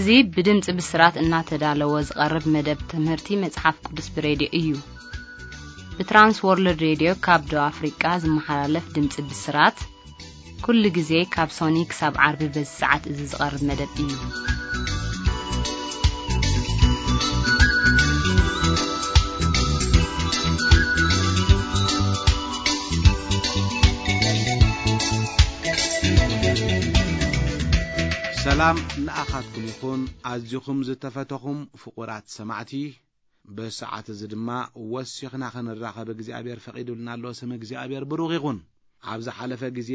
እዚ ብድምጺ ብስራት እናተዳለወ ዝቐርብ መደብ ትምህርቲ መጽሓፍ ቅዱስ ብሬድዮ እዩ። ብትራንስ ወርልድ ሬድዮ ካብ ደቡብ ኣፍሪቃ ዝመሓላለፍ ድምጺ ብስራት፣ ኩሉ ግዜ ካብ ሶኒ ክሳብ ዓርቢ በዚ ሰዓት እዚ ዝቐርብ መደብ እዩ። ሰላም ንኣኻትኩም ይኹን፣ ኣዝኹም ዝተፈተኹም ፍቑራት ሰማዕቲ። ብሰዓት እዚ ድማ ወሲኽና ክንራኸብ እግዚኣብሔር ፈቒዱልና ኣሎ። ስም እግዚኣብሔር ብሩኽ ይኹን። ኣብ ዝሓለፈ ግዜ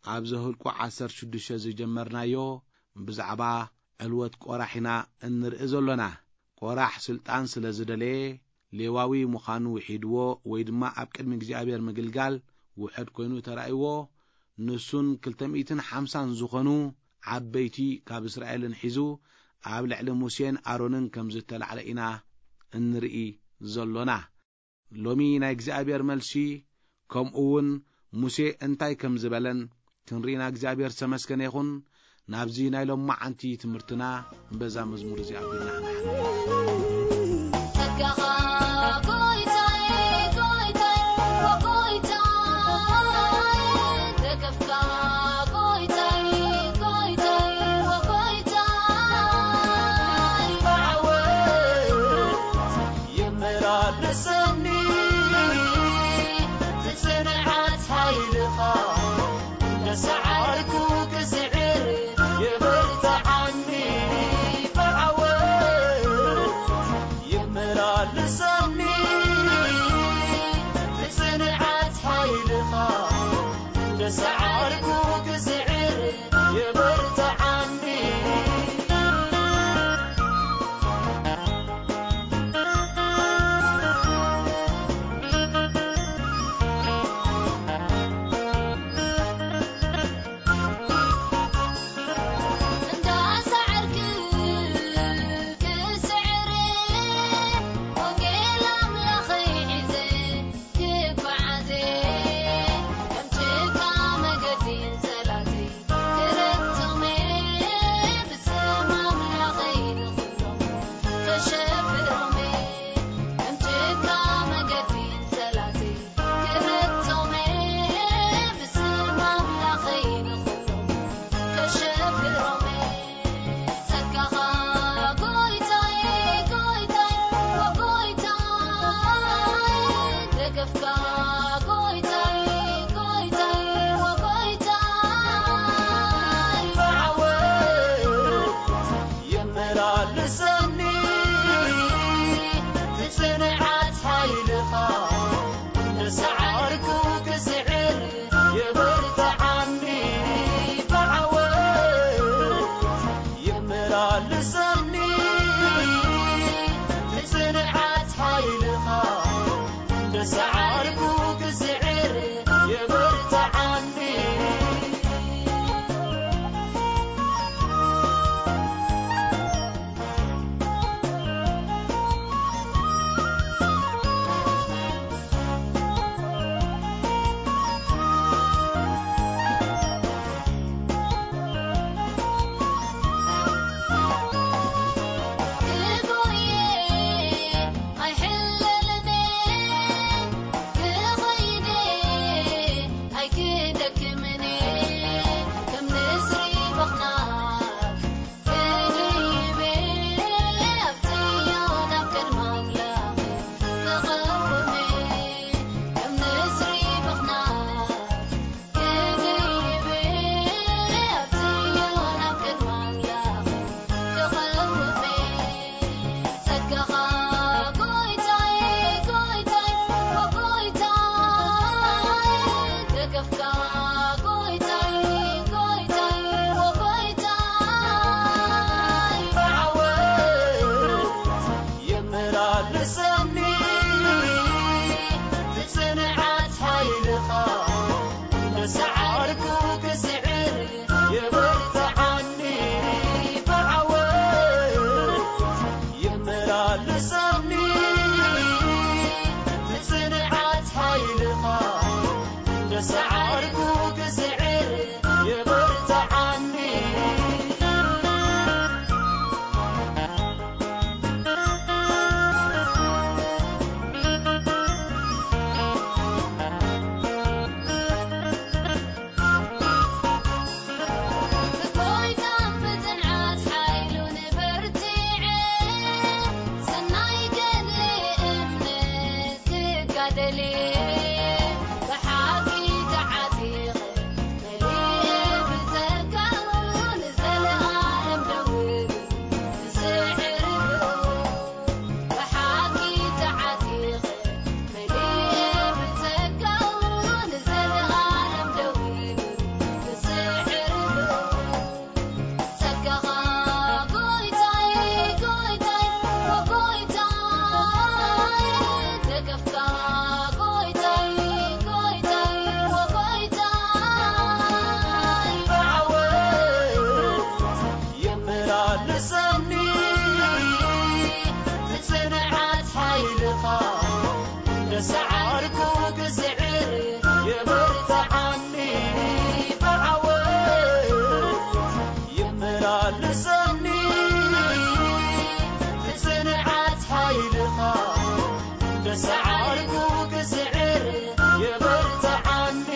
ኣብ ዘኍልቁ ዓሰርተ ሽዱሽተ ዝጀመርናዮ ብዛዕባ ዕልወት ቆራሕ ኢና እንርኢ ዘሎና። ቆራሕ ስልጣን ስለ ዝደለየ ሌዋዊ ምዃኑ ውሒድዎ ወይ ድማ ኣብ ቅድሚ እግዚኣብሔር ምግልጋል ውሑድ ኮይኑ ተራእይዎ። ንሱን ክልተ ሚእትን ሓምሳን ዝኾኑ ዓበይቲ ካብ እስራኤልን ሒዙ ኣብ ልዕሊ ሙሴን ኣሮንን ከም ዝተላዕለ ኢና እንርኢ ዘሎና። ሎሚ ናይ እግዚኣብሔር መልሲ ከምኡ እውን ሙሴ እንታይ ከም ዝበለን ክንርኢና እግዚኣብሔር ዝተመስገነ ይኹን። ናብዚ ናይ ሎማዓንቲ ትምህርትና በዛ መዝሙር እዚኣ ኣቢልና ክንሓልፍ። ጸጋኻ ጎይታይ፣ ጎይታይ፣ ጎይታይ፣ ደገፍካ ጎይታይ፣ ጎይታይ፣ ጎይታይ፣ ብዓወት ይመላለሰኒ ብጽንዓት ሓይልኻ፣ እንደ ሰዓርኩ ክስዕር የበርትዓኒ፣ ብዓወት ይመላለሰኒ ብጽንዓት ሓይልኻ፣ እንደ ሰዓርኩ ክስዕር የበርትዓኒ። እንዳሰዓርክ ክስዕር ወንጌል ኣምላኸይ ሒዘ ክጓዓዘ፣ ከም ጭቃ መገዲ ንጸላእተይ ክረግጾም፣ ብስም ኣምላኸይ ንኹሎም ከሸብሮም፣ ከም ጭቃ መገዲ ንጸላእተይ ክረግጾም፣ ብስም ኣምላኸይ ንኹሎም ከሸብሮም። ጸጋኻ ጎይታይ፣ ጎይታይ፣ ጎይታይ፣ ደገፍካ ጎይታይ፣ ጎይታይ፣ ጎይታይ፣ ብዓወት የመላልሰኒ ብጽንዓት ሓይልኻ፣ እንደ ሰዓርኩ ክስዕር የበርትዓኒ፣ ብዓወት የመላልሰኒ ብጽንዓት ሓይልኻ፣ እንደ ሰዓርኩ ክስዕር የበርትዓኒ። የመላልሰኒ ብጽንዓት ሓይልኻ፣ ንሰዓርኩ ክስዕር የበርትዓኒ፣ ብዓወት የመላልሰኒ ብጽንዓት ሓይልኻ፣ ንሰዓርኩ ክስዕር የበርትዓኒ። ሰኒ ብጽንዓት ሓይልኻ፣ እንደ ሰዓርኩ ክስዕር የበርትዓኒ፣ ብዓወት ይመላለሰኒ። ብጽንዓት ሓይልኻ፣ እንደ ሰዓርኩ ክስዕር የበርትዓኒ።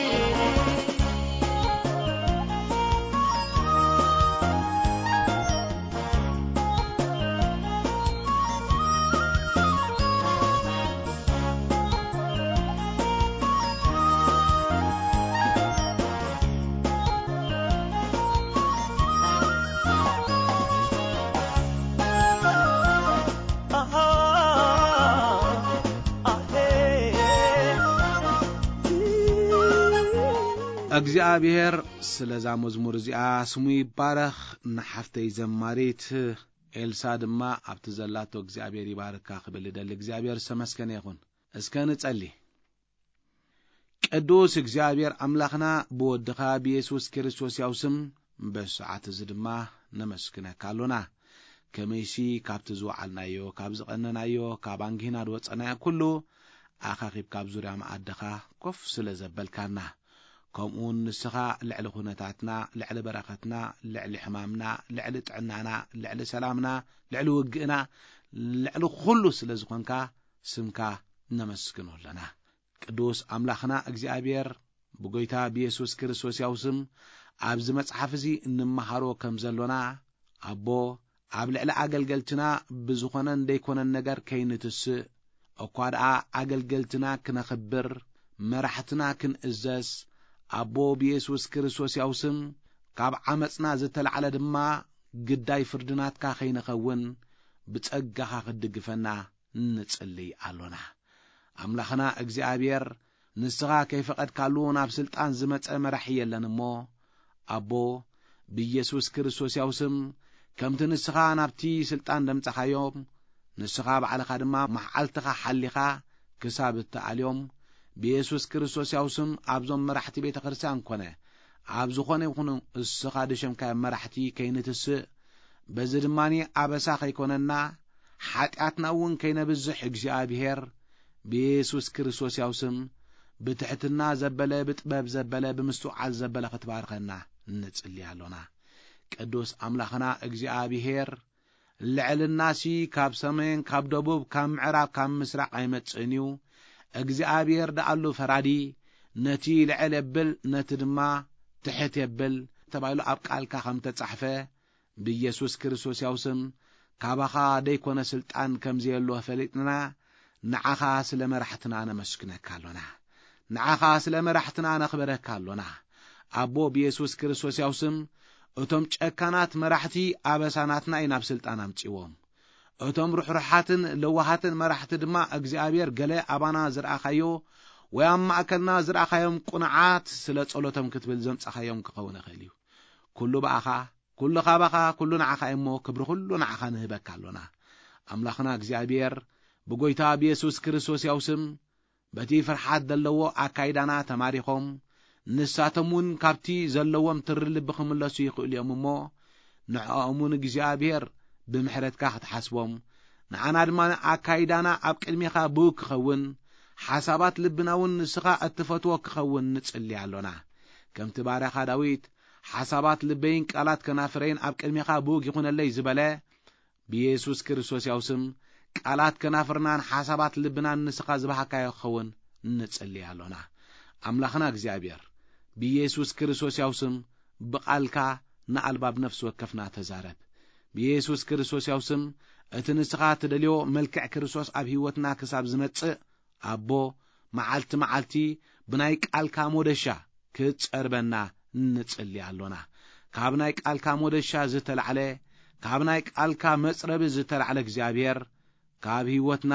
እግዚኣብሔር ስለዛ መዝሙር እዚኣ ስሙ ይባረኽ። ንሓፍተይ ዘማሪት ኤልሳ ድማ ኣብቲ ዘላቶ እግዚኣብሔር ይባርካ ክብል እደሊ። እግዚኣብሔር ዝተመስገነ ይኹን። እስከ ንጸሊ። ቅዱስ እግዚኣብሔር ኣምላኽና፣ ብወድኻ ብየሱስ ክርስቶስ ያው ስም በዚ ሰዓት እዚ ድማ ነመስግነካ ኣሎና። ከመይሲ ካብቲ ዝወዓልናዮ፣ ካብ ዝቐነናዮ፣ ካብ ኣንጊህና ዝወጸናዮ ኩሉ ኣኻኺብካ ኣብ ዙርያ መኣድኻ ኮፍ ስለ ዘበልካና፣ ከምኡውን ንስኻ ልዕሊ ኩነታትና፣ ልዕሊ በረኸትና፣ ልዕሊ ሕማምና፣ ልዕሊ ጥዕናና፣ ልዕሊ ሰላምና፣ ልዕሊ ውግእና፣ ልዕሊ ኩሉ ስለ ዝኾንካ ስምካ ነመስግኖ ኣለና። ቅዱስ ኣምላኽና እግዚኣብሔር፣ ብጎይታ ብየሱስ ክርስቶስ ያው ስም ኣብዚ መጽሓፍ እዚ እንመሃሮ ከም ዘሎና፣ ኣቦ፣ ኣብ ልዕሊ ኣገልገልትና ብዝኾነን ደይኮነን ነገር ከይንትስእ፣ እኳ ደኣ ኣገልገልትና ክነኽብር፣ መራሕትና ክንእዘዝ፣ ኣቦ፣ ብየሱስ ክርስቶስ ያው ስም ካብ ዓመጽና ዝተላዕለ ድማ ግዳይ ፍርዲ ናትካ ከይንኸውን ብጸጋኻ ክትድግፈና ንጽልይ ኣሎና። ኣምላኽና እግዚኣብሔር፣ ንስኻ ከይፈቐድካሉ ናብ ስልጣን ዝመጸ መራሒ የለን እሞ፣ ኣቦ፣ ብኢየሱስ ክርስቶስ ያው ስም፣ ከምቲ ንስኻ ናብቲ ስልጣን ደምጻኻዮም፣ ንስኻ ባዕልኻ ድማ መዓልትኻ ሓሊኻ ክሳብ እትኣልዮም፣ ብኢየሱስ ክርስቶስ ያው ስም ኣብዞም መራሕቲ ቤተ ክርስቲያን ኮነ፣ ኣብ ዝኾነ ይኹን እስኻ ድሸምካዮም መራሕቲ ከይንትስእ፣ በዚ ድማ ኣበሳ ከይኮነና፣ ሓጢኣትና እውን ከይነብዝሕ እግዚኣብሔር ብየሱስ ክርስቶስ ያው ስም ብትሕትና ዘበለ፣ ብጥበብ ዘበለ፣ ብምስትውዓል ዘበለ ክትባርኸና ንጽሊ ኣሎና። ቅዱስ ኣምላኽና እግዚኣብሔር፣ ልዕልናሲ ካብ ሰሜን፣ ካብ ደቡብ፣ ካብ ምዕራብ፣ ካብ ምስራቕ ኣይመጽእን እዩ። እግዚኣብሔር ደኣሉ ፈራዲ፣ ነቲ ልዕል የብል፣ ነቲ ድማ ትሕት የብል ተባሂሉ ኣብ ቃልካ ከም ተጻሕፈ፣ ብኢየሱስ ክርስቶስ ያው ስም ካባኻ ደይኮነ ስልጣን ከም ዘየሎ ፈሊጥና፣ ንዓኻ ስለ መራሕትና ነመስግነካ ኣሎና። ንዓኻ ስለ መራሕትና ነኽብረካ ኣሎና። ኣቦ ብኢየሱስ ክርስቶስ ያው ስም፣ እቶም ጨካናት መራሕቲ ኣበሳናትና እዩ ናብ ስልጣን ኣምጺዎም። እቶም ርሕሩሓትን ለዋሃትን መራሕቲ ድማ እግዚኣብሔር ገለ ኣባና ዝረኣኻዮ ወይ ኣብ ማእከልና ዝረኣኻዮም ቁኑዓት ስለ ጸሎቶም ክትብል ዘምጻኻዮም ክኸውን ይኽእል እዩ። ኩሉ ብኣኻ፣ ኩሉ ካባኻ፣ ኩሉ ንዓኻ እዩ እሞ ክብሪ ኩሉ ንዓኻ ንህበካ ኣሎና። ኣምላኽና እግዚኣብሔር ብጎይታ ብየሱስ ክርስቶስ ያው ስም በቲ ፍርሓት ዘለዎ ኣካይዳና ተማሪኾም፣ ንሳቶም እውን ካብቲ ዘለዎም ትሪ ልቢ ክምለሱ ይኽእሉ እዮም እሞ፣ ንዕኦም እውን እግዚኣብሔር ብምሕረትካ ክትሓስቦም፣ ንዓና ድማ ኣካይዳና ኣብ ቅድሜኻ ብውግ ክኸውን፣ ሓሳባት ልብና እውን ንስኻ እትፈትዎ ክኸውን ንጽሊ ኣሎና። ከምቲ ባርያኻ ዳዊት፣ "ሓሳባት ልበይን ቃላት ከናፍረይን ኣብ ቅድሜኻ ብውግ ይኹነለይ" ዝበለ፣ ብየሱስ ክርስቶስ ያው ስም ቃላት ከናፍርናን ሓሳባት ልብናን ንስኻ ዝበሃካዮ ክኸውን ንጽሊ ኣሎና። ኣምላኽና እግዚኣብሔር፣ ብየሱስ ክርስቶስ ያው ስም ብቓልካ ንኣልባብ ነፍሲ ወከፍና ተዛረብ። ብየሱስ ክርስቶስ ያው ስም እቲ ንስኻ ትደልዮ መልክዕ ክርስቶስ ኣብ ህይወትና ክሳብ ዝመጽእ፣ ኣቦ፣ መዓልቲ መዓልቲ ብናይ ቃልካ ሞደሻ ክትጸርበና ንጽሊ ኣሎና። ካብ ናይ ቃልካ ሞደሻ ዝተላዕለ፣ ካብ ናይ ቃልካ መጽረቢ ዝተላዕለ እግዚኣብሔር፣ ካብ ህይወትና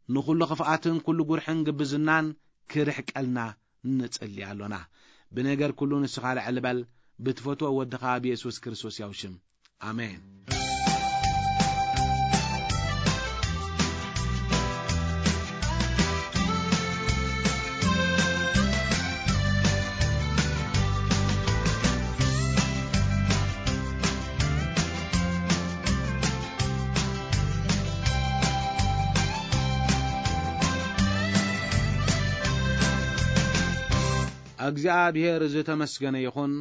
ንኹሉ ክፍኣትን ኩሉ ጉርሕን ግብዝናን ክርሕቀልና ንጽሊ ኣሎና። ብነገር ኩሉ ንስኻ ልዕል በል፣ ብትፈትዎ ወድኻ ብየሱስ ክርስቶስ ያው ሽም። ኣሜን። እግዚኣብሔር ዝተመስገነ ይኹን።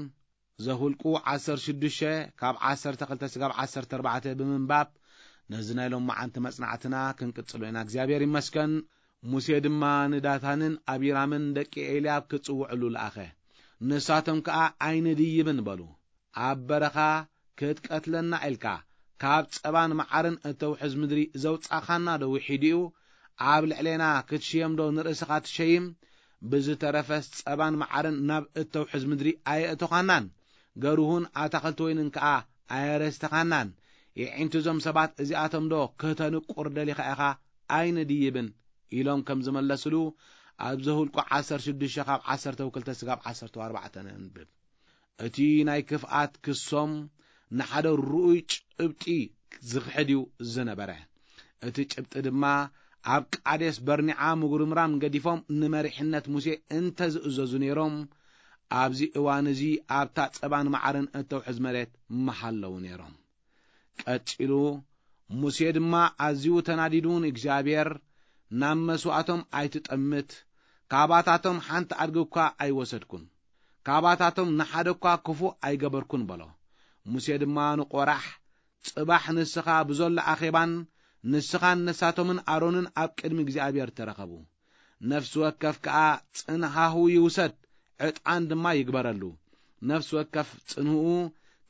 ዘሁልቁ ዓሰርተ ሽዱሽተ ካብ ዓሰርተ ክልተ ስጋብ ዓሰርተ ኣርባዕተ ብምንባብ ነዚ ናይ ሎማዓንቲ መጽናዕትና ክንቅጽሎ ኢና። እግዚኣብሔር ይመስገን። ሙሴ ድማ ንዳታንን ኣቢራምን ደቂ ኤልያብ ክጽውዕሉ ለኣኸ። ንሳቶም ከኣ ኣይንድይብን በሉ። ኣብ በረኻ ክትቀትለና ኢልካ ካብ ጸባን መዓርን እተውሕዝ ምድሪ ዘውጻኻና ዶ ውሒድ እዩ? ኣብ ልዕሌና ክትሽየም ዶ ንርእስኻ ትሸይም? ብዝተረፈስ ጸባን መዓርን ናብ እተውሕዝ ምድሪ ኣየእተኻናን፣ ገርሁን ኣታኽልቲ ወይንን ከኣ ኣየረስተኻናን። የዒንቲ እዞም ሰባት እዚኣቶም ዶ ከተንቁር ደሊኻ ኢኻ? ኣይንድይብን ኢሎም ከም ዝመለስሉ ኣብ ዘሁልቁ ዓሰርተ ሽዱሽተ ካብ ዓሰርተ ክልተ ስጋብ ዓሰርተ ኣርባዕተ ነንብብ። እቲ ናይ ክፍኣት ክሶም ንሓደ ርኡይ ጭብጢ ዝኽሕድ እዩ ዝነበረ። እቲ ጭብጢ ድማ ኣብ ቃዴስ በርኒዓ ምጉርምራም ገዲፎም ንመሪሕነት ሙሴ እንተዝእዘዙ ነይሮም፣ ኣብዚ እዋን እዚ ኣብታ ጸባን መዓርን እተውሕዝ መሬት ምሃለዉ ነይሮም። ቀጺሉ፣ ሙሴ ድማ ኣዝዩ ተናዲዱ ንእግዚኣብሔር፣ ናብ መስዋእቶም ኣይትጠምት፣ ካባታቶም ሓንቲ ኣድጊ እኳ ኣይወሰድኩን፣ ካባታቶም ንሓደ እኳ ክፉእ ኣይገበርኩን በሎ። ሙሴ ድማ ንቆራሕ፣ ጽባሕ ንስኻ ብዘሎ ኣኼባን ንስኻን ንሳቶምን ኣሮንን ኣብ ቅድሚ እግዚኣብሔር ተረኸቡ። ነፍሲ ወከፍ ከኣ ጽንሃሁ ይውሰድ፣ ዕጣን ድማ ይግበረሉ። ነፍሲ ወከፍ ጽንህኡ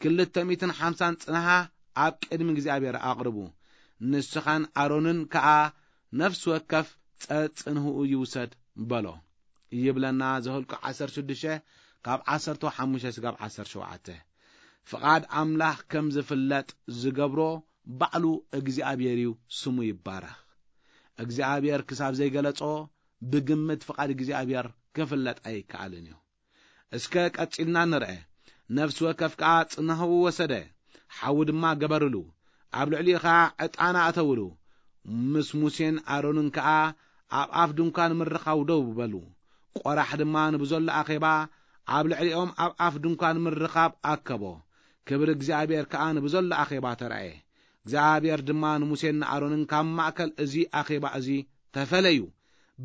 ክልተ ሚእትን ሓምሳን ጽንሃ ኣብ ቅድሚ እግዚኣብሔር ኣቕርቡ። ንስኻን ኣሮንን ከኣ ነፍሲ ወከፍ ጸጽንህኡ ይውሰድ በሎ። ይብለና ዘኍልቁ ዓሰርተ ሽዱሽተ ካብ ዓሰርተ ሓሙሽተ ስጋብ ዓሰርተ ሸውዓተ። ፍቓድ ኣምላኽ ከም ዝፍለጥ ዝገብሮ ባዕሉ እግዚኣብሔር እዩ፣ ስሙ ይባረኽ። እግዚኣብሔር ክሳብ ዘይገለጾ ብግምት ፍቓድ እግዚኣብሔር ክፍለጥ ኣይከኣልን እዩ። እስከ ቀጺልና ንርአ። ነፍሲ ወከፍ ከኣ ጽናህኡ ወሰደ፣ ሓዊ ድማ ገበርሉ፣ ኣብ ልዕሊኡ ኸኣ ዕጣን ኣእተውሉ። ምስ ሙሴን ኣሮንን ከኣ ኣብ ኣፍ ድንኳን ምርኻብ ደው በሉ። ቆራሕ ድማ ንብዘሎ ኣኼባ ኣብ ልዕሊኦም ኣብ ኣፍ ድንኳን ምርኻብ ኣከቦ። ክብሪ እግዚኣብሔር ከኣ ንብዘሎ ኣኼባ ተራእየ። እግዚኣብሔር ድማ ንሙሴን ንኣሮንን ካብ ማእከል እዚ ኣኼባ እዚ ተፈለዩ፣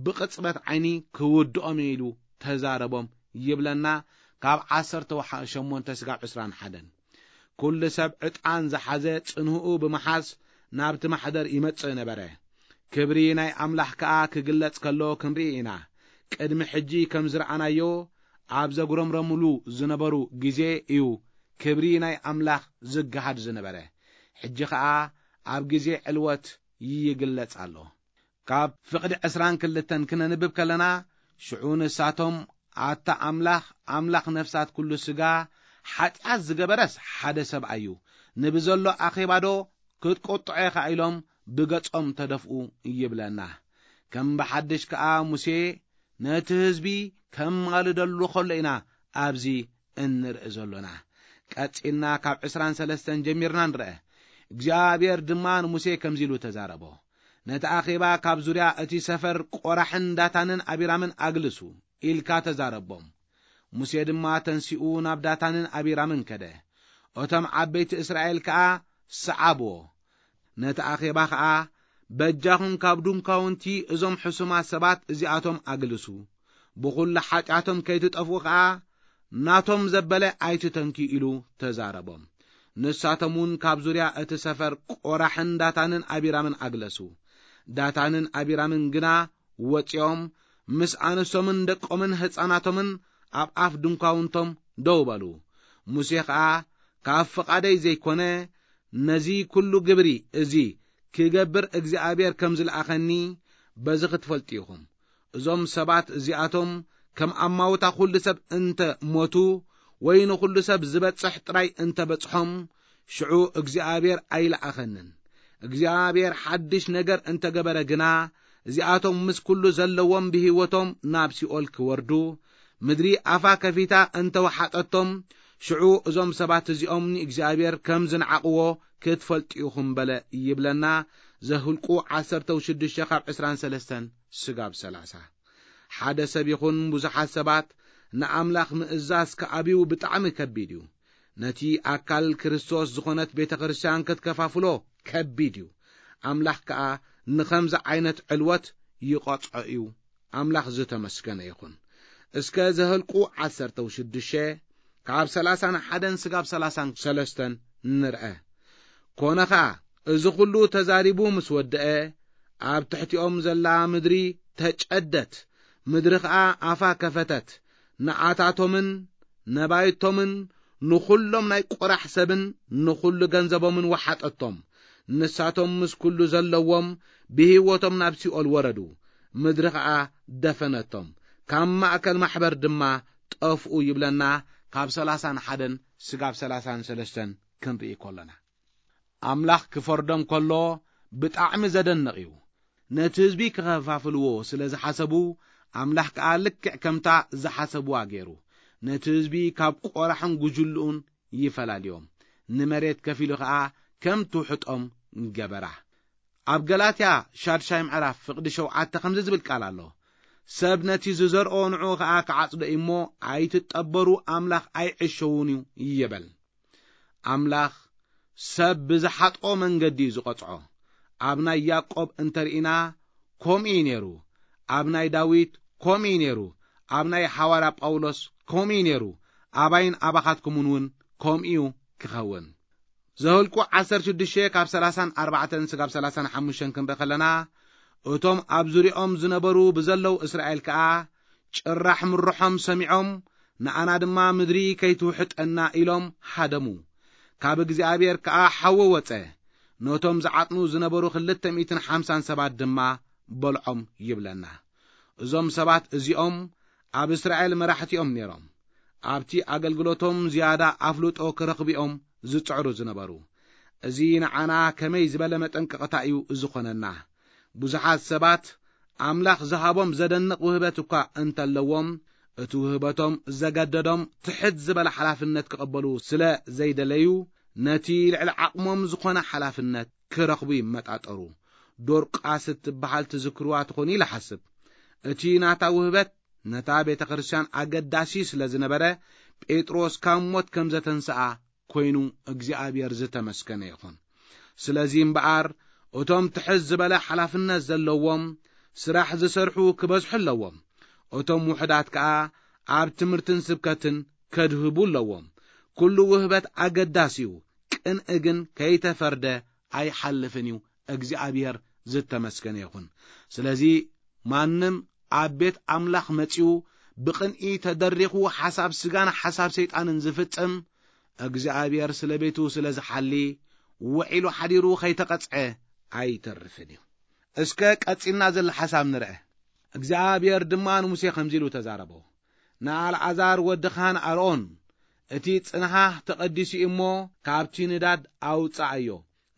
ብቕጽበት ዓይኒ ክውድኦም እየ ኢሉ ተዛረቦም ይብለና ካብ ዓሰርተ ሸሞንተ ስጋብ ዕስራን ሓደን። ኩሉ ሰብ ዕጣን ዝሓዘ ጽንህኡ ብምሓዝ ናብቲ ማሕደር ይመጽእ ነበረ። ክብሪ ናይ ኣምላኽ ከኣ ክግለጽ ከሎ ክንርኢ ኢና። ቅድሚ ሕጂ ከም ዝረኣናዮ ኣብ ዘጉረምረሙሉ ዝነበሩ ግዜ እዩ ክብሪ ናይ ኣምላኽ ዝገሃድ ዝነበረ። ሕጂ ኸኣ ኣብ ግዜ ዕልወት ይግለጽ ኣሎ። ካብ ፍቕዲ ዕስራን ክልተን ክነንብብ ከለና፣ ሽዑ ንሳቶም፣ ኣታ ኣምላኽ፣ ኣምላኽ ነፍሳት ኩሉ ስጋ፣ ሓጢኣት ዝገበረስ ሓደ ሰብኣይ እዩ፣ ንብዘሎ ኣኼባዶ ክትቆጥዖ ኢኻ ኢሎም ብገጾም ተደፍኡ ይብለና። ከም ብሓድሽ ከኣ ሙሴ ነቲ ህዝቢ ከማልደሉ ከሎ ኢና ኣብዚ እንርኢ ዘሎና። ቀጺልና ካብ ዕስራን ሰለስተን ጀሚርና ንርአ። እግዚኣብሔር ድማ ንሙሴ ከምዚ ኢሉ ተዛረቦ። ነቲ ኣኼባ ካብ ዙርያ እቲ ሰፈር ቆራሕን ዳታንን ኣቢራምን ኣግልሱ ኢልካ ተዛረቦም። ሙሴ ድማ ተንሲኡ ናብ ዳታንን ኣቢራምን ከደ። እቶም ዓበይቲ እስራኤል ከኣ ሰዓብዎ። ነቲ ኣኼባ ኸኣ በጃኹም ካብ ድንኳውንቲ እዞም ሕሱማት ሰባት እዚኣቶም ኣግልሱ። ብኹሉ ሓጢኣቶም ከይትጠፍኡ ኸኣ ናቶም ዘበለ ኣይትተንኪ ኢሉ ተዛረቦም። ንሳቶም እውን ካብ ዙርያ እቲ ሰፈር ቆራሕን ዳታንን ኣቢራምን ኣግለሱ። ዳታንን ኣቢራምን ግና ወጺኦም ምስ ኣንስቶምን ደቆምን ህፃናቶምን ኣብ ኣፍ ድንኳውንቶም ደው በሉ። ሙሴ ኸኣ ካብ ፍቓደይ ዘይኮነ ነዚ ኩሉ ግብሪ እዚ ክገብር እግዚኣብሔር ከም ዝለኣኸኒ በዚ ክትፈልጡ ኢኹም። እዞም ሰባት እዚኣቶም ከም ኣማውታ ኩሉ ሰብ እንተ ሞቱ ወይ ንኹሉ ሰብ ዝበጽሕ ጥራይ እንተ በጽሖም ሽዑ እግዚኣብሔር ኣይለኣኸንን። እግዚኣብሔር ሓድሽ ነገር እንተገበረ ግና እዚኣቶም ምስ ኩሉ ዘለዎም ብህይወቶም ናብ ሲኦል ክወርዱ ምድሪ ኣፋ ከፊታ እንተወሓጠቶም ሽዑ እዞም ሰባት እዚኦም ንእግዚኣብሔር ከም ዝነዓቕዎ ክትፈልጡ ኢኹም በለ ይብለና። ዘህልቁ ዓሰርተ ሽዱሽተ ካብ ዕስራን ሰለስተን ስጋብ ሰላሳ። ሓደ ሰብ ይኹን ብዙሓት ሰባት ንኣምላኽ ምእዛዝ ክኣብዩ ብጣዕሚ ከቢድ እዩ። ነቲ ኣካል ክርስቶስ ዝኾነት ቤተ ክርስቲያን ክትከፋፍሎ ከቢድ እዩ። ኣምላኽ ከኣ ንኸምዚ ዓይነት ዕልወት ይቐጽዖ እዩ። ኣምላኽ ዝተመስገነ ይኹን። እስከ ዘኍልቁ ዓሰርተ ሽዱሽተ ካብ ሠላሳን ሓደን ስጋብ ሠላሳን ሰለስተን ንርአ። ኮነ ኸኣ፣ እዚ ኹሉ ተዛሪቡ ምስ ወደአ፣ ኣብ ትሕቲኦም ዘላ ምድሪ ተጨደት፣ ምድሪ ኸኣ ኣፋ ከፈተት፣ ንዓታቶምን ነባይቶምን ንኹሎም ናይ ቆራሕ ሰብን ንኹሉ ገንዘቦምን ወሓጠቶም። ንሳቶም ምስ ኩሉ ዘለዎም ብህይወቶም ናብ ሲኦል ወረዱ። ምድሪ ኸኣ ደፈነቶም። ካብ ማእከል ማሕበር ድማ ጠፍኡ ይብለና፣ ካብ ሠላሳን ሓደን ስጋብ ሠላሳን ሰለስተን ክንርኢ ከሎና። ኣምላኽ ክፈርዶም ከሎ ብጣዕሚ ዘደንቕ እዩ። ነቲ ህዝቢ ክኸፋፍልዎ ስለ ዝሓሰቡ፣ ኣምላኽ ከኣ ልክዕ ከምታ ዝሓሰብዋ ገይሩ፣ ነቲ ህዝቢ ካብ ቆራሕን ጉጅልኡን ይፈላልዮም። ንመሬት ከፊሉ ኸኣ ከም ትውሕጦም ገበራ። ኣብ ገላትያ ሻድሻይ ምዕራፍ ፍቕዲ ሸውዓተ ከምዚ ዝብል ቃል ኣሎ፣ "ሰብ ነቲ ዝዘርኦ ንዕኡ ኸኣ ክዓጽዶ እዩ እሞ፣ ኣይትጠበሩ፣ ኣምላኽ ኣይዕሸውን እዩ" ይበል። ኣምላኽ ሰብ ብዝሓጥኦ መንገዲ እዩ ዝቐጽዖ። ኣብ ናይ ያዕቆብ እንተ ርኢና፣ ከምኡ እዩ ነይሩ። ኣብ ናይ ዳዊት ከምኡ እዩ ነይሩ። ኣብ ናይ ሓዋርያ ጳውሎስ ከምኡ እዩ ነይሩ። ኣባይን ኣባኻትኩምን እውን ከምኡ እዩ ክኸውን። ዘኍልቁ ዓሰርተ ሽዱሽተ ካብ ሠላሳን ኣርባዕተን ስጋብ ሠላሳን ሓሙሽተን ክንርኢ ከለና፣ እቶም ኣብ ዙርያኦም ዝነበሩ ብዘለዉ እስራኤል ከኣ፣ ጭራሕ ምርሖም ሰሚዖም፣ ንኣና ድማ ምድሪ ከይትውሕጠና ኢሎም ሃደሙ። ካብ እግዚኣብሔር ከኣ ሓዊ ወጸ። ነቶም ዝዓጥኑ ዝነበሩ ክልተ ሚእትን ሓምሳን ሰባት ድማ በልዖም ይብለና። እዞም ሰባት እዚኦም ኣብ እስራኤል መራሕቲ እዮም ነይሮም። ኣብቲ ኣገልግሎቶም ዝያዳ ኣፍልጦ ክረኽቡ እዮም ዝጽዕሩ ዝነበሩ። እዚ ንዓና ከመይ ዝበለ መጠንቀቕታ እዩ ዝኾነና! ብዙሓት ሰባት ኣምላኽ ዝሃቦም ዘደንቕ ውህበት እኳ እንተለዎም፣ እቲ ውህበቶም ዘገደዶም ትሕት ዝበለ ሓላፍነት ክቕበሉ ስለ ዘይደለዩ፣ ነቲ ልዕሊ ዓቕሞም ዝኾነ ሓላፍነት ክረኽቡ ይመጣጠሩ። ዶርቃስ እትበሃል ትዝክርዋ ትኾኑ ኢለ ሓስብ። እቲ ናታ ውህበት ነታ ቤተ ክርስቲያን ኣገዳሲ ስለ ዝነበረ፣ ጴጥሮስ ካብ ሞት ከም ዘተንስኣ ኮይኑ እግዚኣብሔር ዝተመስገነ ይኹን። ስለዚ እምበኣር፣ እቶም ትሕት ዝበለ ሓላፍነት ዘለዎም ስራሕ ዝሰርሑ ክበዝሑ ኣለዎም። እቶም ውሑዳት ከኣ ኣብ ትምህርትን ስብከትን ከድህቡ ኣለዎም። ኩሉ ውህበት ኣገዳሲ እዩ፣ ቅንኢ ግን ከይተፈርደ ኣይሓልፍን እዩ። እግዚኣብሔር ዝተመስገነ ይኹን። ስለዚ ማንም ኣብ ቤት ኣምላኽ መጺኡ ብቕንኢ ተደሪኹ ሓሳብ ስጋን ሓሳብ ሰይጣንን ዝፍጽም፣ እግዚኣብሔር ስለ ቤቱ ስለ ዝሓሊ፣ ውዒሉ ሓዲሩ ከይተቐጽዐ ኣይተርፍን እዩ። እስከ ቀጺልና ዘሎ ሓሳብ ንርአ። እግዚኣብሔር ድማ ንሙሴ ከምዚ ኢሉ ተዛረቦ፣ "ንኣልዓዛር ወድኻን ኣሮን፣ እቲ ጽንሃህ ተቐዲሱ እዩ እሞ፣ ካብቲ ንዳድ ኣውጽኣዮ፣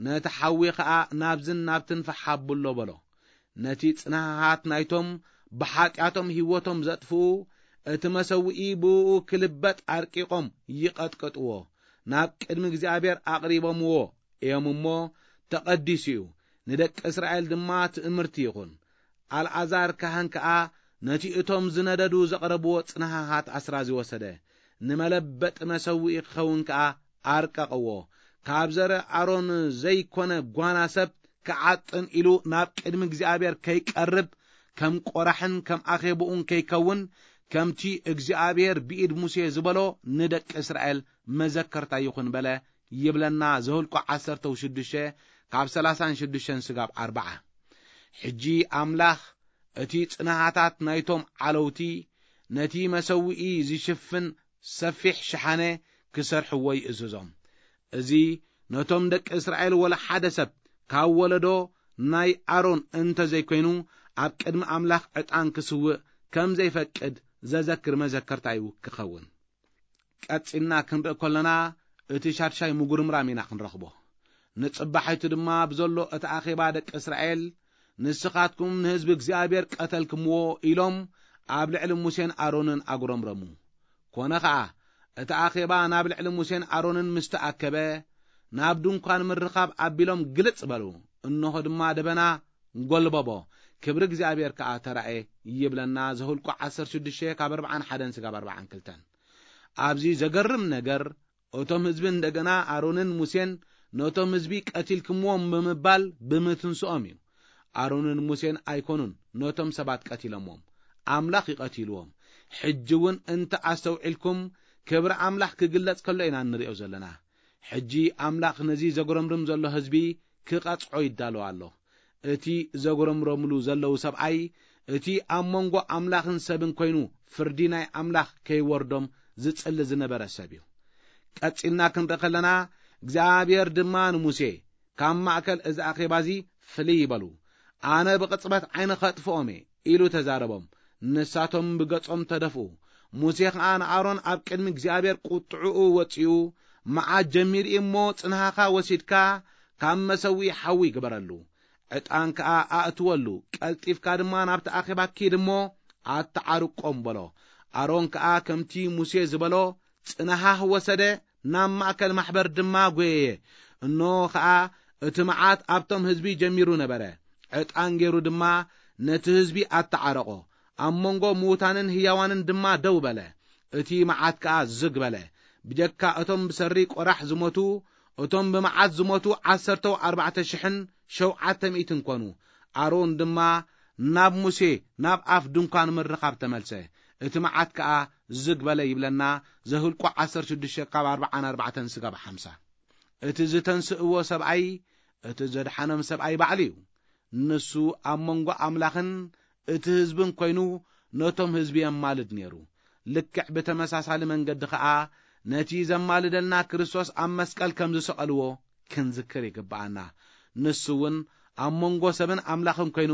ነቲ ሓዊ ኸኣ ናብዝን ናብትን ፈሕ ኣብሎ" በሎ። ነቲ ጽንሃሃት ናይቶም ብሓጢኣቶም ህይወቶም ዘጥፍኡ፣ እቲ መሰውኢ ብእኡ ክልበጥ ኣርቂቖም ይቐጥቅጥዎ። ናብ ቅድሚ እግዚኣብሔር ኣቕሪቦምዎ እዮም እሞ፣ ተቐዲሱ እዩ፣ ንደቂ እስራኤል ድማ ትእምርቲ ይኹን። ኣልዓዛር ካህን ከኣ ነቲ እቶም ዝነደዱ ዘቕረብዎ ጽንሃሃት ኣስራዚ ወሰደ፣ ንመለበጢ መሰውኢ ክኸውን ከኣ ኣርቀቕዎ። ካብ ዘርእ ኣሮን ዘይኮነ ጓና ሰብ ክዓጥን ኢሉ ናብ ቅድሚ እግዚኣብሔር ከይቀርብ፣ ከም ቆራሕን ከም ኣኼብኡን ከይከውን፣ ከምቲ እግዚኣብሔር ብኢድ ሙሴ ዝበሎ ንደቂ እስራኤል መዘከርታ ይኹን በለ ይብለና። ዘኍልቁ ዓሰርተ ሽዱሽተ ካብ ሠላሳን ሽዱሽተን ስጋብ ኣርብዓ። ሕጂ ኣምላኽ እቲ ጽንሃታት ናይቶም ዓለውቲ፣ ነቲ መሰውኢ ዝሽፍን ሰፊሕ ሸሓነ ክሰርሕዎ ይእዝዞም። እዚ ነቶም ደቂ እስራኤል ወላ ሓደ ሰብ ካብ ወለዶ ናይ ኣሮን እንተ ዘይኮይኑ፣ ኣብ ቅድሚ ኣምላኽ ዕጣን ክስውእ ከም ዘይፈቅድ ዘዘክር መዘከርታ እዩ ክኸውን። ቀጺልና ክንርኢ ከለና፣ እቲ ሻድሻይ ምጉርምራም ኢና ክንረኽቦ። ንጽባሒቱ ድማ ብዘሎ እቲ ኣኼባ ደቂ እስራኤል፣ "ንስኻትኩም ንህዝቢ እግዚኣብሔር ቀተልክምዎ" ኢሎም ኣብ ልዕሊ ሙሴን ኣሮንን ኣጉረምረሙ። ኮነ ኸኣ፣ እቲ ኣኼባ ናብ ልዕሊ ሙሴን ኣሮንን ምስ ተኣከበ፣ ናብ ድንኳን ምርኻብ ኣቢሎም ግልጽ በሉ። እንሆ ድማ ደበና ጐልበቦ፣ ክብሪ እግዚኣብሔር ከኣ ተራእየ ይብለና ዘኍልቁ ዓሰርተ ሽዱሽተ ካብ ኣርብዓን ሓደን ስጋብ ኣርብዓን ክልተን። ኣብዚ ዘገርም ነገር፣ እቶም ህዝቢ እንደገና ኣሮንን ሙሴን ነቶም ህዝቢ ቀቲልክምዎም ብምባል ብምትንስኦም እዩ። ኣሮንን ሙሴን ኣይኮኑን ነቶም ሰባት ቀቲሎምዎም፣ ኣምላኽ እዩ ቀቲልዎም። ሕጂ እውን እንተ ኣስተውዒልኩም፣ ክብሪ ኣምላኽ ክግለጽ ከሎ ኢና እንርእዮ ዘለና። ሕጂ ኣምላኽ ነዚ ዘጉረምርም ዘሎ ህዝቢ ክቐጽዖ ይዳሎ ኣሎ። እቲ ዘጉረምረምሉ ዘለዉ ሰብኣይ፣ እቲ ኣብ መንጎ ኣምላኽን ሰብን ኮይኑ ፍርዲ ናይ ኣምላኽ ከይወርዶም ዝጽሊ ዝነበረ ሰብ እዩ። ቀጺልና ክንርኢ ከለና፣ እግዚኣብሔር ድማ ንሙሴ፣ "ካብ ማእከል እዚ ኣኼባ እዚ ፍልይ ይበሉ፣ ኣነ ብቕጽበት ዓይኒ ኸጥፍኦም እየ" ኢሉ ተዛረቦም። ንሳቶም ብገጾም ተደፍኡ። ሙሴ ኸኣ ንኣሮን ኣብ ቅድሚ እግዚኣብሔር ቁጥዕኡ ወጺኡ፣ "መዓት ጀሚሩ እሞ ጽንሃኻ ወሲድካ ካብ መሰውኢ ሓዊ ግበረሉ፣ ዕጣን ከኣ ኣእትወሉ፣ ቀልጢፍካ ድማ ናብቲ ኣኼባ ኪድ እሞ ኣተዓርቆም" በሎ። ኣሮን ከኣ ከምቲ ሙሴ ዝበሎ ጽንሃህ ወሰደ፣ ናብ ማእከል ማሕበር ድማ ጐየየ። እንሆ ኸኣ እቲ መዓት ኣብቶም ህዝቢ ጀሚሩ ነበረ። ዕጣን ገይሩ ድማ ነቲ ህዝቢ ኣተዓረቖ። ኣብ መንጎ ምዉታንን ህያዋንን ድማ ደው በለ። እቲ መዓት ከኣ ዝግ በለ። ብጀካ እቶም ብሰሪ ቆራሕ ዝሞቱ፣ እቶም ብመዓት ዝሞቱ ዓሰርተው ኣርባዕተ ሽሕን ሸውዓተ ሚእትን ኮኑ። ኣሮን ድማ ናብ ሙሴ ናብ ኣፍ ድንኳን ምርኻብ ተመልሰ። እቲ መዓት ከኣ ዝግ በለ ይብለና። ዘህልቁ ዓሰርተ ሽዱሽተ ካብ ኣርብዓ ንኣርባዕተ ስጋብ ሓምሳ። እቲ ዝተንስእዎ ሰብኣይ፣ እቲ ዘድሓኖም ሰብኣይ ባዕሉ እዩ። ንሱ ኣብ መንጎ ኣምላኽን እቲ ህዝብን ኮይኑ ነቶም ህዝቢ የማልድ ነይሩ። ልክዕ ብተመሳሳሊ መንገዲ ኸኣ ነቲ ዘማልደልና ክርስቶስ ኣብ መስቀል ከም ዝሰቐልዎ ክንዝክር ይግብኣና። ንሱ እውን ኣብ መንጎ ሰብን ኣምላኽን ኮይኑ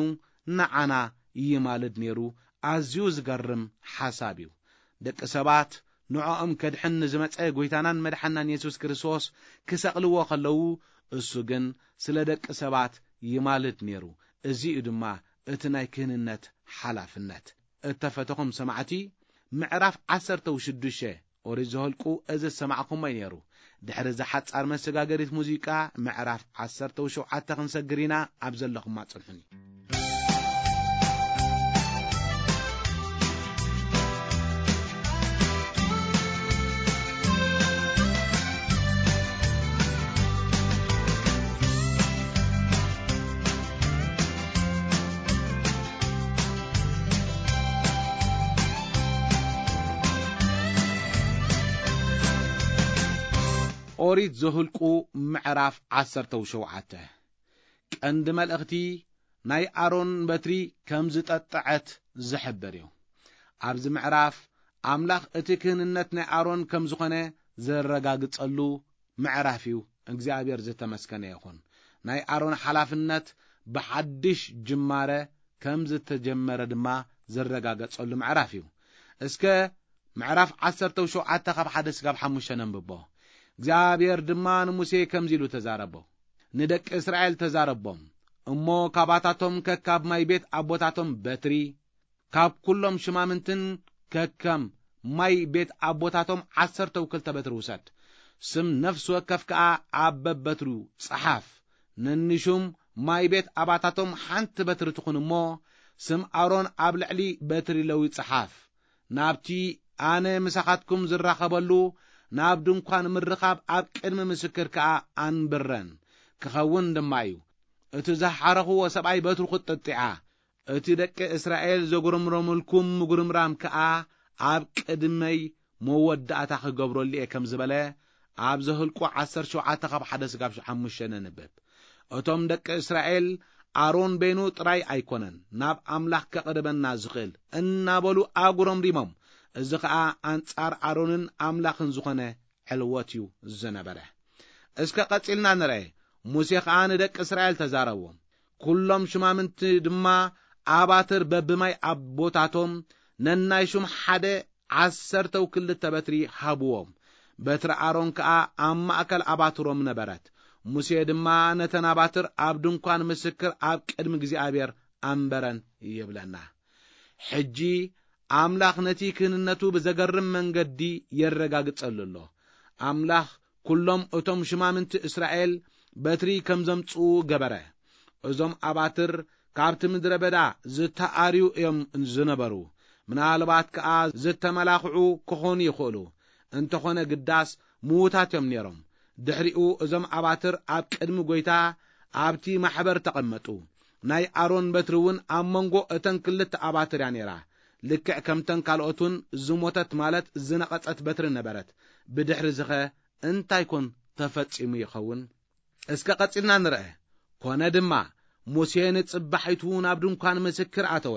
ንዓና ይማልድ ነይሩ። ኣዝዩ ዝገርም ሓሳብ እዩ። ደቂ ሰባት ንዕኦም ከድሕን ንዝመጸ ጐይታናን መድሓናን የሱስ ክርስቶስ ክሰቕልዎ ከለዉ፣ እሱ ግን ስለ ደቂ ሰባት ይማልድ ነይሩ። እዚ እዩ ድማ እቲ ናይ ክህንነት ሓላፍነት። እተፈተኹም ሰማዕቲ፣ ምዕራፍ ዓሰርተ ሽዱሽተ ኦሪት ዘኍልቁ እዚ ዝሰማዕኹሞ እዩ ነይሩ። ድሕሪ እዛ ሓጻር መሰጋገሪት ሙዚቃ፣ ምዕራፍ ዓሰርተ ሸውዓተ ክንሰግር ኢና። ኣብ ዘለኹማ ጽንሑኒ። ኦሪት ዘኍልቁ ምዕራፍ ዓሰርተ ሸውዓተ። ቀንዲ መልእኽቲ ናይ ኣሮን በትሪ ከም ዝጠጥዐት ዝሕብር እዩ። ኣብዚ ምዕራፍ ኣምላኽ እቲ ክህንነት ናይ ኣሮን ከም ዝኾነ ዘረጋግጸሉ ምዕራፍ እዩ። እግዚኣብሔር ዝተመስገነ ይኹን። ናይ ኣሮን ሓላፍነት ብሓድሽ ጅማረ ከም ዝተጀመረ ድማ ዝረጋገጸሉ ምዕራፍ እዩ። እስከ ምዕራፍ ዓሰርተ ሸውዓተ ካብ ሓደ ስጋብ ሓሙሽተ ነንብቦ። እግዚኣብሔር ድማ ንሙሴ ከምዚ ኢሉ ተዛረቦ። ንደቂ እስራኤል ተዛረቦም፣ እሞ ካባታቶም ከካብ ማይ ቤት ኣቦታቶም በትሪ፣ ካብ ኩሎም ሽማምንትን ከከም ማይ ቤት ኣቦታቶም ዓሰርተው ክልተ በትሪ ውሰድ። ስም ነፍሲ ወከፍ ከኣ ኣብ በበትሩ ጸሓፍ። ነንሹም ማይ ቤት ኣባታቶም ሓንቲ በትሪ ትኹን እሞ፣ ስም ኣሮን ኣብ ልዕሊ በትሪ ለዊ ጸሓፍ። ናብቲ ኣነ ምሳኻትኩም ዝራኸበሉ ናብ ድንኳን ምርኻብ ኣብ ቅድሚ ምስክር ከኣ ኣንብረን ክኸውን ድማ እዩ። እቲ ዝሓረኽዎ ሰብኣይ በትሩ ክትጥጥዓ፣ እቲ ደቂ እስራኤል ዘጉረምረሙልኩም ምጉርምራም ከኣ ኣብ ቅድመይ መወዳእታ ክገብረሉ እየ ከም ዝበለ፣ ኣብ ዘህልቁ ዓሰርተ ሸውዓተ ካብ ሓደ ስጋብ ሓሙሽተ ነንብብ። እቶም ደቂ እስራኤል፣ ኣሮን በይኑ ጥራይ ኣይኮነን ናብ ኣምላኽ ከቕርበና ዝኽእል እናበሉ ኣጉረምሪሞም። እዚ ኸኣ ኣንጻር ኣሮንን ኣምላኽን ዝኾነ ዕልወት እዩ ዝነበረ። እስከ ቀጺልና ንርአ። ሙሴ ኸኣ ንደቂ እስራኤል ተዛረቦም። ኩሎም ሽማምንቲ ድማ ኣባትር በብማይ ኣቦታቶም ነናይ ሹም ሓደ ዓሰርተው ክልተ በትሪ ሃብዎም። በትሪ ኣሮን ከኣ ኣብ ማእከል ኣባትሮም ነበረት። ሙሴ ድማ ነተን ኣባትር ኣብ ድንኳን ምስክር ኣብ ቅድሚ እግዚኣብሔር ኣንበረን ይብለና። ሕጂ ኣምላኽ ነቲ ክህንነቱ ብዘገርም መንገዲ የረጋግጸሉ ኣሎ። ኣምላኽ ኩሎም እቶም ሽማምንቲ እስራኤል በትሪ ከም ዘምጽኡ ገበረ። እዞም ኣባትር ካብቲ ምድረ በዳ ዝተኣርዩ እዮም ዝነበሩ። ምናልባት ከኣ ዝተመላኽዑ ክኾኑ ይኽእሉ። እንተኾነ ግዳስ ምዉታት እዮም ነይሮም። ድሕሪኡ እዞም ኣባትር ኣብ ቅድሚ ጐይታ ኣብቲ ማሕበር ተቐመጡ። ናይ ኣሮን በትሪ እውን ኣብ መንጎ እተን ክልተ ኣባትር እያ ነይራ። ልክዕ ከምተን ካልኦት እውን ዝሞተት ማለት ዝነቐጸት በትሪ ነበረት። ብድሕሪ ዝኸ እንታይ ኮን ተፈጺሙ ይኸውን? እስከ ቀጺልና ንርአ። ኮነ ድማ፣ ሙሴ ንጽባሒቱ ናብ ድንኳን ምስክር ኣተወ።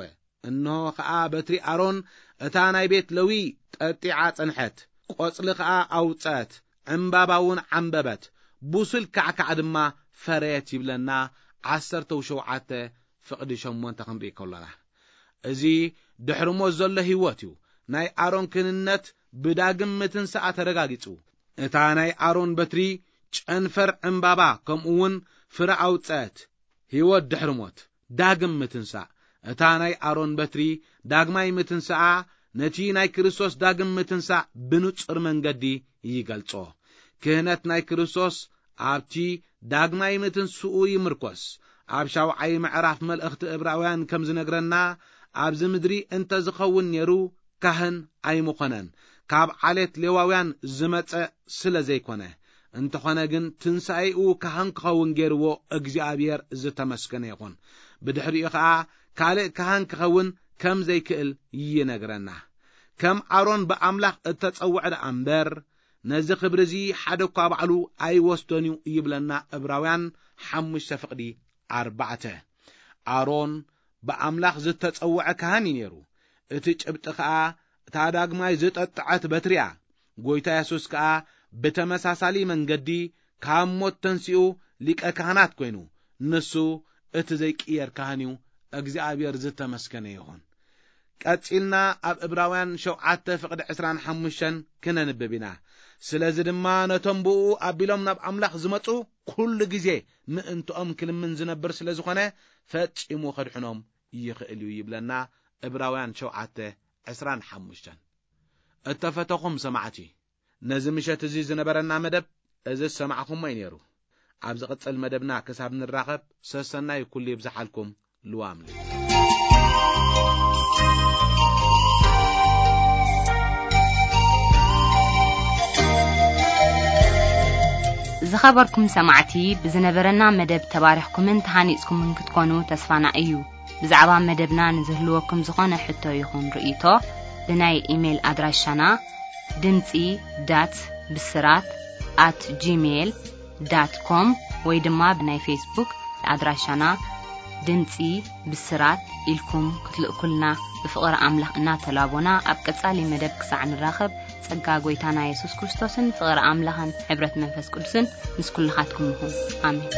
እንሆ ኸኣ በትሪ ኣሮን እታ ናይ ቤት ለዊ ጠጢዓ ጸንሐት፣ ቆጽሊ ኸኣ ኣውጸት፣ ዕምባባ እውን ዓምበበት፣ ቡሱል ካዕካዕ ድማ ፈረየት ይብለና። ዓሰርተ ሸውዓተ ፍቕዲ ሸሞንተ ክንርኢ ከሎና፣ እዚ ድሕሪ ሞት ዘሎ ህይወት እዩ። ናይ ኣሮን ክህንነት ብዳግም ምትንሳኣ ተረጋጊጹ። እታ ናይ ኣሮን በትሪ ጨንፈር ዕምባባ ከምኡ እውን ፍረ ኣውጸት። ህይወት ድሕሪ ሞት፣ ዳግም ምትንሳእ። እታ ናይ ኣሮን በትሪ ዳግማይ ምትንሳኣ ነቲ ናይ ክርስቶስ ዳግም ምትንሳእ ብንጹር መንገዲ ይገልጾ። ክህነት ናይ ክርስቶስ ኣብቲ ዳግማይ ምትንስኡ ይምርኮስ። ኣብ ሻውዓይ ምዕራፍ መልእኽቲ እብራውያን ከም ዝነግረና፣ ኣብዚ ምድሪ እንተ ዝኸውን ነይሩ፣ ካህን ኣይምኾነን፣ ካብ ዓሌት ሌዋውያን ዝመጸ ስለ ዘይኮነ። እንተኾነ ግን፣ ትንሳኤኡ ካህን ክኸውን ገይርዎ እግዚኣብሔር ዝተመስገነ ይኹን። ብድሕሪኡ ኸኣ ካልእ ካህን ክኸውን ከም ዘይክእል ይነግረና። ከም ኣሮን ብኣምላኽ እተጸውዐ ደኣ እምበር፣ ነዚ ክብሪ እዚ ሓደ እኳ ባዕሉ ኣይወስዶን እዩ ይብለና እብራውያን ሓሙሽተ ፍቕዲ ኣርባዕተ። ኣሮን ብኣምላኽ ዝተጸውዐ ካህን እዩ ነይሩ። እቲ ጭብጢ ኸኣ እታ ዳግማይ ዝጠጥዐት በትሪ እያ። ጐይታ የሱስ ከኣ ብተመሳሳሊ መንገዲ ካብ ሞት ተንሲኡ ሊቀ ካህናት ኰይኑ፣ ንሱ እቲ ዘይቅየር ካህን እዩ። እግዚኣብሔር ዝተመስገነ ይኹን። ቀጺልና ኣብ እብራውያን ሸውዓተ ፍቕዲ ዕስራን ሓሙሽተን ክነንብብ ኢና። ስለዚ ድማ ነቶም ብእኡ ኣቢሎም ናብ ኣምላኽ ዝመጹ ኩሉ ግዜ ምእንትኦም ክልምን ዝነብር ስለ ዝኾነ፣ ፈጺሙ ከድሕኖም ይኽእል እዩ ይብለና እብራውያን ሸውዓተ ዕስራን ሓሙሽተን። እተፈተኹም ሰማዕቲ፣ ነዚ ምሸት እዚ ዝነበረና መደብ እዚ ዝሰማዕኹሞ እዩ ነይሩ። ኣብ ዝቕጽል መደብና ክሳብ ንራኸብ፣ ሰሰናዩ ኩሉ ይብዝሓልኩም። ልዋም ዝኸበርኩም ሰማዕቲ፣ ብዝነበረና መደብ ተባሪኽኩምን ተሃኒጽኩምን ክትኮኑ ተስፋና እዩ። ብዛዕባ መደብና ንዝህልወኩም ዝኾነ ሕቶ ይኹን ርእይቶ፣ ብናይ ኢሜይል ኣድራሻና ድምጺ ዳት ብስራት ኣት ጂሜይል ዳት ኮም ወይ ድማ ብናይ ፌስቡክ ኣድራሻና ድምጺ ብስራት ኢልኩም ክትልእኩልና ብፍቕሪ ኣምላኽ እናተላቦና፣ ኣብ ቀጻሊ መደብ ክሳዕ ንራኸብ፣ ጸጋ ጐይታና የሱስ ክርስቶስን ፍቕሪ ኣምላኽን ሕብረት መንፈስ ቅዱስን ምስ ኩልኻትኩም ይኹን። ኣሜን።